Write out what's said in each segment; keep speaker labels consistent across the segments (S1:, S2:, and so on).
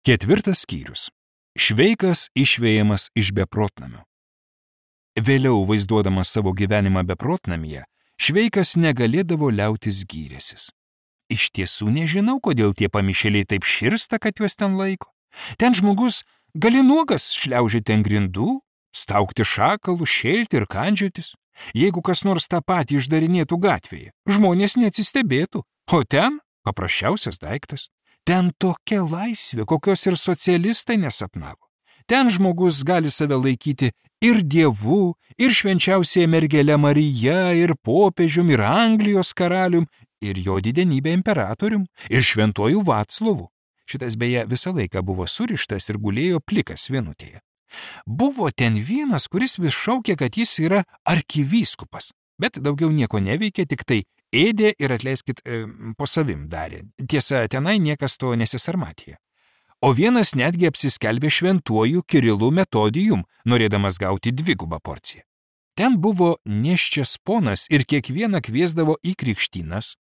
S1: 4 skyrius. Šveikas išvejamas iš beprotnamio. Vėliau, vaizduodamas savo gyvenimą beprotnamyje, Šveikas negalėdavo liautis gyrėsis. Iš tiesų nežinau, kodėl tie pamišėliai taip širsta, kad juos ten laiko. Ten žmogus gali nuogas šliaužyti ant grindų, staukti šakalų, šėlti ir kandžiotis. Jeigu kas nors tą patį išdarinėtų gatvėje, žmonės neatsistebėtų, o ten paprasčiausias daiktas. Ten tokia laisvė, kokios ir socialistai nesapnavo. Ten žmogus gali save laikyti ir dievu, ir švenčiausiai mergele Marija, ir popiežium, ir Anglijos karalium, ir jo didenybė imperatorium, ir šventuoju Vaclovu. Šitas beje visą laiką buvo surištas ir gulėjo plikas vienutėje. Buvo ten vienas, kuris vis šaukė, kad jis yra arkivyskupas, bet daugiau nieko neveikė, tik tai ėdė ir atleiskit, po savim darė. Tiesa, tenai niekas to nesisarmatė. O vienas netgi apsiskelbė šventuoju Kirilu Metodijum, norėdamas gauti 2 porciją. Ten buvo nėščias ponas ir kiekvieną kviesdavo į krikštynas.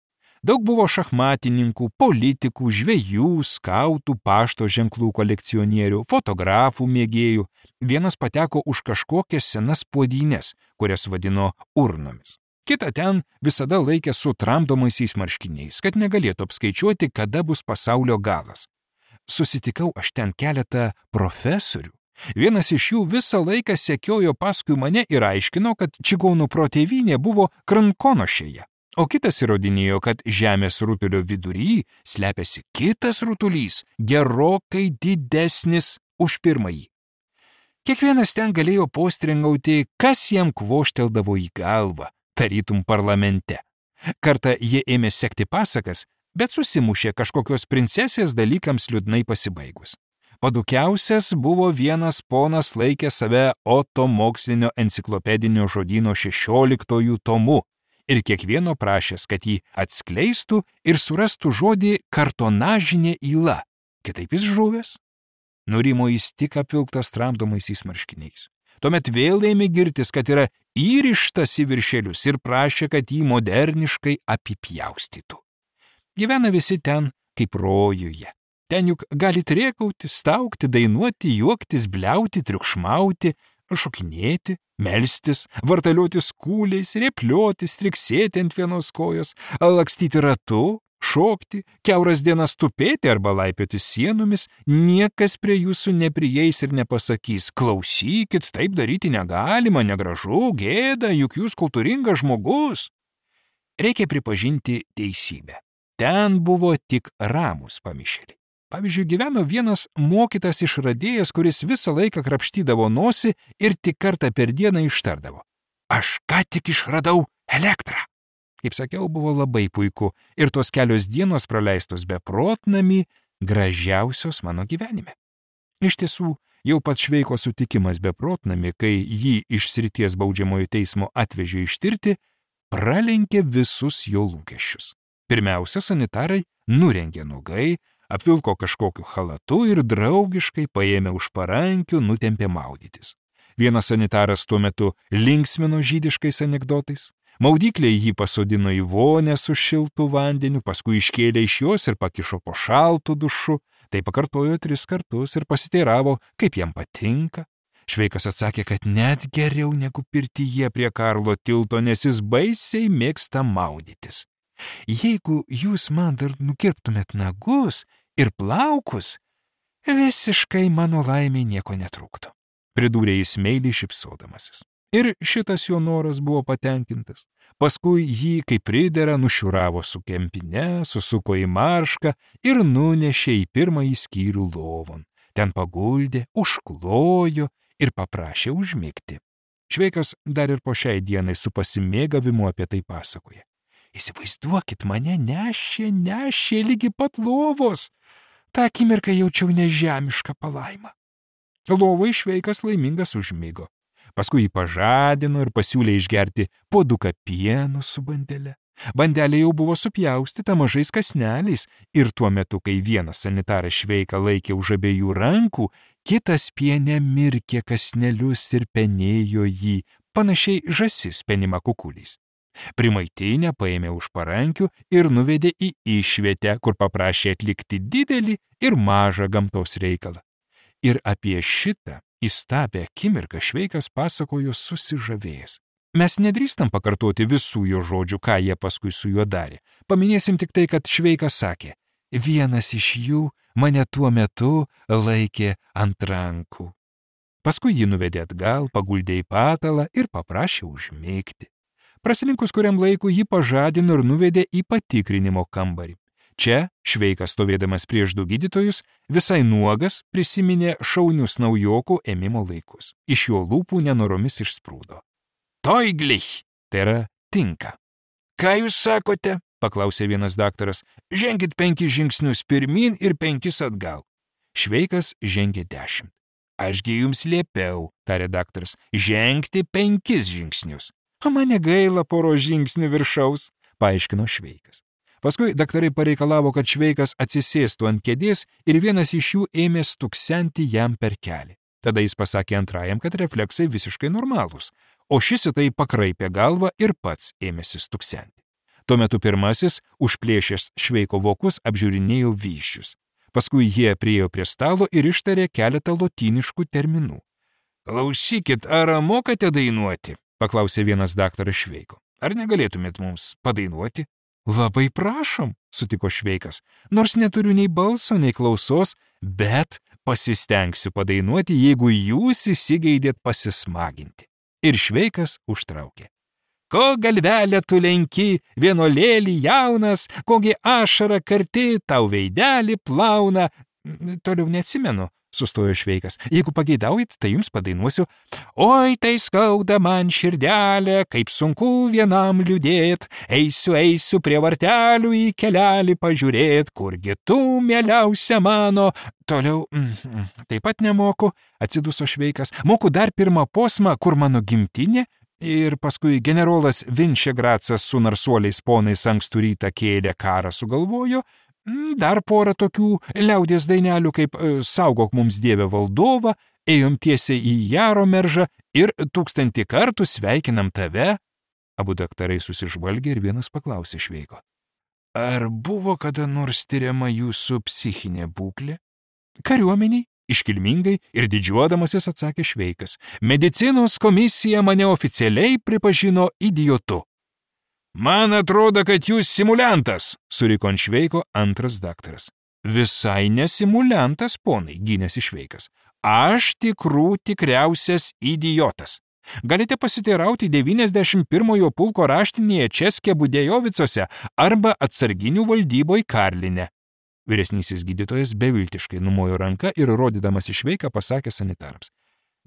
S1: Daug buvo šachmatininkų, politikų, žvejų, skautų, pašto ženklų kolekcionierių, fotografų mėgėjų. Vienas pateko už kažkokias senas puodynės, kurias vadino urnomis. Kita ten visada laikė su tramdomaisiais marškiniais, kad negalėtų apskaičiuoti, kada bus pasaulio galas. Susitikau aš ten keletą profesorių. Vienas iš jų visą laiką sekiojo paskui mane ir aiškino, kad čigonų protėvynė buvo Krankonošėje, o kitas įrodinėjo, kad žemės rutulio vidury slepiasi kitas rutulys, gerokai didesnis už pirmąjį. Kiekvienas ten galėjo postringauti, kas jam kvošteldavo į galvą, tarytum parlamente. Kartą jie ėmė sekti pasakas, bet susimušė kažkokios princesės dalykams liūdnai pasibaigus. Padukiausias buvo vienas ponas laikė save Oto mokslinio enciklopedinio žodyno 16 tomu ir kiekvieno prašęs, kad jį atskleistų ir surastų žodį kartonažinė yla. Kitaip jis žuvęs. Nurimo jis tik apvilktas tramdomaisiais marškiniais. Tuomet vėl ėmė girtis, kad yra įrištas į viršelius ir prašė, kad jį moderniškai apipjaustytų. Gyvena visi ten kaip rojuje. Ten juk gali rėkauti, staukti, dainuoti, juoktis, bliauti, triukšmauti, šokinėti, melstis, vartaliuotis kūliais, rėpliuotis, triksėti ant vienos kojos, lakstyti ratu, šokti, kiauras dienas tupėti arba laipioti sienomis, niekas prie jūsų neprieis ir nepasakys, klausykit, taip daryti negalima, negražu, gėda, juk jūs kultūringas žmogus. Reikia pripažinti teisybę. Ten buvo tik ramūs pamišėliai. Pavyzdžiui, gyveno vienas mokytas išradėjas, kuris visą laiką krapštydavo nosį ir tik kartą per dieną ištardavo. Aš ką tik išradau elektrą. Kaip sakiau, buvo labai puiku ir tos kelios dienos praleistos beprotnamy gražiausios mano gyvenime. Iš tiesų, jau pats Šveiko sutikimas beprotnamy, kai jį iš srities baudžiamojo teismo atvežė ištirti, pralenkė visus jo lūkesčius. Pirmiausia, sanitarai nurengė nuogai, apvilko kažkokiu chalatu ir draugiškai paėmė už parankių, nutempė maudytis. Vienas sanitaras tuo metu linksmino žydiškais anekdotais. Maudykliai jį pasodino į vonę su šiltu vandeniu, paskui iškėlė iš jos ir pakišo po šaltų dušu. Tai pakartojo 3 kartus ir pasiteiravo, kaip jam patinka. Šveikas atsakė, kad net geriau negu pirtyje prie Karlo tilto, nes jis baisiai mėgsta maudytis. Jeigu jūs man dar nukirptumėt nagus ir plaukus, visiškai mano laimiai nieko netrūktų, pridūrė jis meiliai šypsodamasis. Ir šitas jo noras buvo patenkintas. Paskui jį, kaip pridera, nušiuravo su kempine, susuko į maršką ir nunešė į pirmąjį skyrių lovon. Ten paguldė, užklojo ir paprašė užmigti. Šveikas dar ir po šiai dienai su pasimėgavimu apie tai pasakoja. Įsivaizduokit, mane nešė lygi pat lovos. Ta akimirką jaučiau nežemišką palaimą. Lovoj Šveikas laimingas užmigo. Paskui jį pažadino ir pasiūlė išgerti puoduką pieno su bandele. Bandelė jau buvo supjaustyta mažais kąsneliais ir tuo metu, kai vienas sanitaras Šveiką laikė už abiejų rankų, kitas piene mirkė kąsnelius ir penėjo jį, panašiai žąsis penima kukuliais. Primaitinę paėmė už parankių ir nuvedė į išvietę, kur paprašė atlikti didelį ir mažą gamtos reikalą. Ir apie šitą įstabią akimirką Šveikas pasakojo susižavėjęs. Mes nedrįstam pakartoti visų jo žodžių, ką jie paskui su juo darė. Paminėsim tik tai, kad Šveikas sakė, vienas iš jų mane tuo metu laikė ant rankų. Paskui jį nuvedė atgal, paguldė į patalą ir paprašė užmigti. Prasilinkus kuriam laiku jį pažadino ir nuvedė į patikrinimo kambarį. Čia Šveikas, stovėdamas prieš du gydytojus, visai nuogas prisiminė šaunius naujokų ėmimo laikus. Iš jo lūpų nenoromis išsprūdo. Toiglich, tai yra tinka. Ką jūs sakote? Paklausė vienas daktaras. Ženkit 5 žingsnius pirmin ir 5 atgal. Šveikas žengė 10. Ašgi jums liepiau, tarė daktaras, žengti 5 žingsnius. O mane gaila poro žingsnių viršaus, paaiškino Šveikas. Paskui daktarai pareikalavo, kad Šveikas atsisėstų ant kėdės ir vienas iš jų ėmė stuksenti jam per kelį. Tada jis pasakė antrajam, kad refleksai visiškai normalūs, o šis į tai pakraipė galvą ir pats ėmėsi stuksenti. Tuo metu pirmasis, užplėšęs Šveiko vokus, apžiūrinėjo vyščius. Paskui jie priėjo prie stalo ir ištarė keletą lotyniškų terminų. Klausykit, ar mokate dainuoti? Paklausė vienas daktaras Šveiko. Ar negalėtumėt mums padainuoti? Labai prašom, sutiko Šveikas, nors neturiu nei balso, nei klausos, bet pasistengsiu padainuoti, jeigu jūs įsigeidėt pasismaginti. Ir Šveikas užtraukė. Ko galvelę tu lenki, vienuolėlį jaunas, kogi ašarą karti tau veidelį plauna. Toliau neatsimenu, sustojo Šveikas. Jeigu pageidaujat, tai jums padainuosiu. Oi, tai skauda man širdelė, kaip sunku vienam liūdėt. Eisiu prie vartelių į kelelį pažiūrėt, kurgi tu, mieliausia mano. Toliau, taip pat nemoku, atsiduso Šveikas. Moku dar pirmą posmą, kur mano gimtinė. Ir paskui generolas Vinčegracas su narsuoliais ponais ankstų rytą kėlė karą sugalvojo. Dar porą tokių liaudies dainelių kaip Saugok mums Dieve valdovą, ėjom tiesiai į Jaromeržą ir 1000 kartų sveikinam tave. Abu daktarai susižvalgė ir vienas paklausė Šveiko. Ar buvo kada nors tyriama jūsų psichinė būklė? Kariuomeniai, iškilmingai ir didžiuodamasis atsakė Šveikas. Medicinos komisija mane oficialiai pripažino idiotu. Man atrodo, kad jūs simuliantas, suriko ant Šveiko antras daktaras. Visai nesimuliantas, ponai, gynėsi Šveikas. Aš tikriausias idiotas. Galite pasiteirauti 91-ojo pulko raštinėje Českė Budejovicuose arba atsarginių valdyboj Karline. Vyresnysis gydytojas beviltiškai numojo ranką ir rodydamas į Šveiką pasakė sanitarams.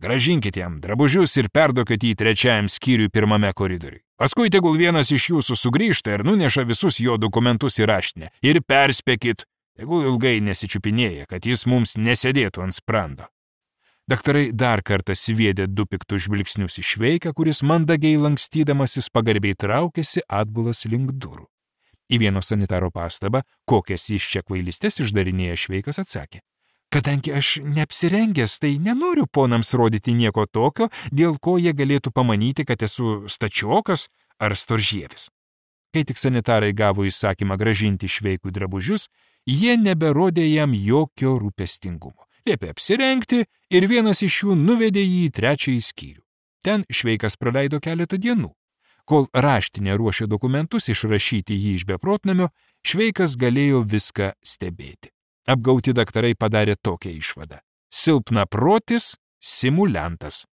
S1: Gražinkit jam drabužius ir perduokit jį 3. skyriui 1. koridoriui. Paskui tegul vienas iš jūsų sugrįžta ir nuneša visus jo dokumentus į raštinę. Ir perspėkit, tegul ilgai nesičiupinėja, kad jis mums nesėdėtų ant sprando. Daktarai dar kartą sviedė 2 piktus žvilgsnius į Šveiką, kuris mandagiai lankstydamasis pagarbiai traukėsi atbulas link durų. Į vieno sanitaro pastabą, kokias jis čia kvailystes išdarinėja, Šveikas atsakė. Kadangi aš neapsirengęs, tai nenoriu ponams rodyti nieko tokio, dėl ko jie galėtų pamanyti, kad esu stačiokas ar storžievis. Kai tik sanitarai gavo įsakymą gražinti Šveikui drabužius, jie neberodė jam jokio rūpestingumo. Liepė apsirengti ir vienas iš jų nuvedė jį į 3. skyrių. Ten Šveikas praleido keletą dienų. Kol raštinė ruošė dokumentus išrašyti jį iš beprotnamio, Šveikas galėjo viską stebėti. Apgauti daktarai padarė tokią išvadą. Silpnaprotis simuliantas.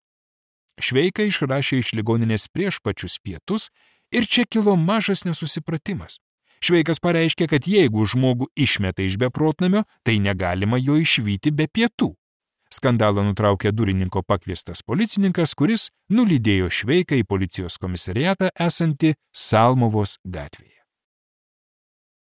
S1: Šveiką išrašė iš ligoninės prieš pačius pietus ir čia kilo mažas nesusipratimas. Šveikas pareiškė, kad jeigu žmogų išmeta iš beprotnamio, tai negalima jo išvyti be pietų. Skandalą nutraukė durininko pakviestas policininkas, kuris nulydėjo Šveiką į policijos komisariatą esantį Salmovos gatvėje.